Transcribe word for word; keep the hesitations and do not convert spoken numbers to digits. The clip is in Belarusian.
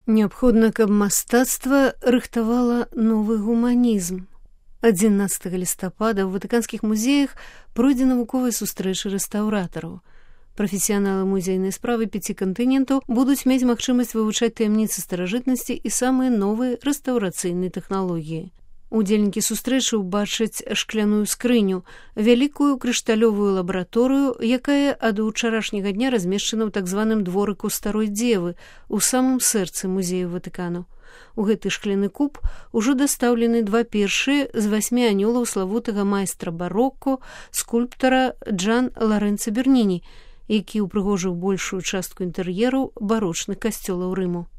Неабходна, каб мастацтва рыхтавала новы гуманізм. адзінаццатага лістапада ў ватыканскіх музеях пройдзе навуковая сустрэча рэстаўратараў. Прафесіяналы музейнай справы пяці кантынентаў будуць мець магчымасць вывучаць таямніцы старажытнасці і самыя новыя рэстаўрацыйныя тэхналогіі. Удзельнікі сустрэчы ўбачаць шкляную скрыню, вялікую крышталёвую лабараторыю, якая ад учарашняга дня размешчана ў так званым дворыку старой дзевы у самым сэрцы музею Ватыкану. У гэты шкляны куб ужо дастаўлены два першыя з васьмі анёлаў славутага майстра бароко, скульптара Джан Ларэнца Берніні, які ўпрыгожыў большую частку інтэр'ераў барочных касцёлаў Рыму.